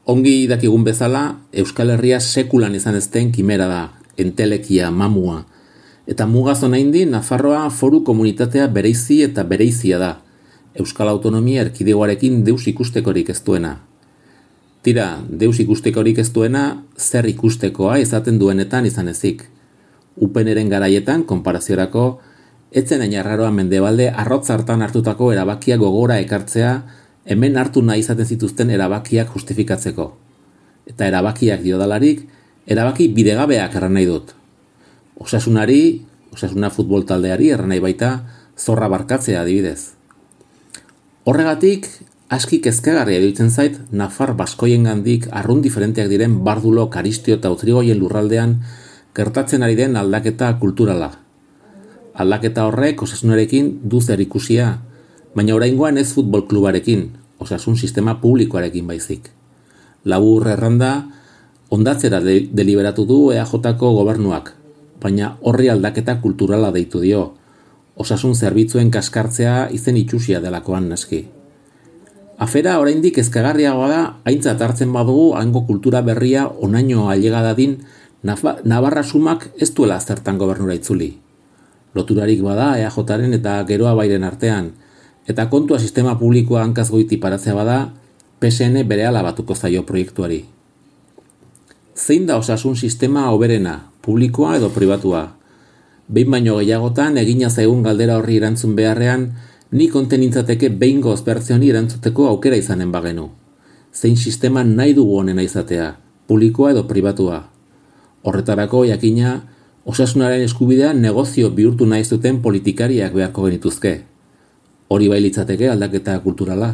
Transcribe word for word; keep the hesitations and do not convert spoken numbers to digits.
Ongi dakigun bezala, Euskal Herria sekulan izan ezten kimera da, entelekia, mamua. Eta mugaz honaindi, Nafarroa foru komunitatea bereizi eta bereizia da. Euskal Autonomia erkidegoarekin deus ikustekorik ez duena. Tira, deus ikustekorik ez duena, zer ikustekoa izaten duenetan izan ezik. Upeneren garaietan, konparaziorako, etzen ainarraroa mendebalde arrotz hartan hartutako erabakiak gogora ekartzea, hemen hartu nahi izaten zituzten erabakiak justifikatzeko. Eta erabakiak diodalarik, erabaki bidegabeak erran nahi dut. Osasunari, osasuna futbol taldeari erran nahi baita, zorra barkatzea adibidez. Horregatik, aski kezkagarria iruditzen zait, Nafar baskoiengandik arrun diferenteak diren Bardulo, Karistio eta Utrigoien lurraldean gertatzen ari den aldaketa kulturala. Aldaketa horrek osasunarekin du zer ikusia, baina oraingoan ez futbol klubarekin, osasun sistema publikoarekin baizik. Labur erranda, ondatzera de- deliberatu du E A Jko gobernuak, baina horri aldaketa kulturala deitu dio, osasun zerbitzuen kaskartzea izen itxusia delakoan naski. Afera oraindik ezkagarriagoa da, aintzat hartzen badugu hango kultura berria onaino ailega dadin Navarra sumak ez duela zertan gobernura itzuli. Loturarik bada E A Jaren eta Geroa Bairen artean, eta kontua sistema publikoa hankaz goiti paratzea bada, P S N berehala batuko zaio proiektuari. Zein da osasun sistema hoberena, publikoa edo pribatua? Behin baino gehiagotan egina zaigun galdera horri erantzun beharrean, ni konten nintzateke behingoz bertzioni erantzuteko aukera izanen bagenu. Zein sistema nahi dugu honena izatea, publikoa edo pribatua? Horretarako, jakina, osasunaren eskubidea negozio bihurtu nahi zuten politikariak beharko genituzke. Hori bai litzateke aldaketa kulturala.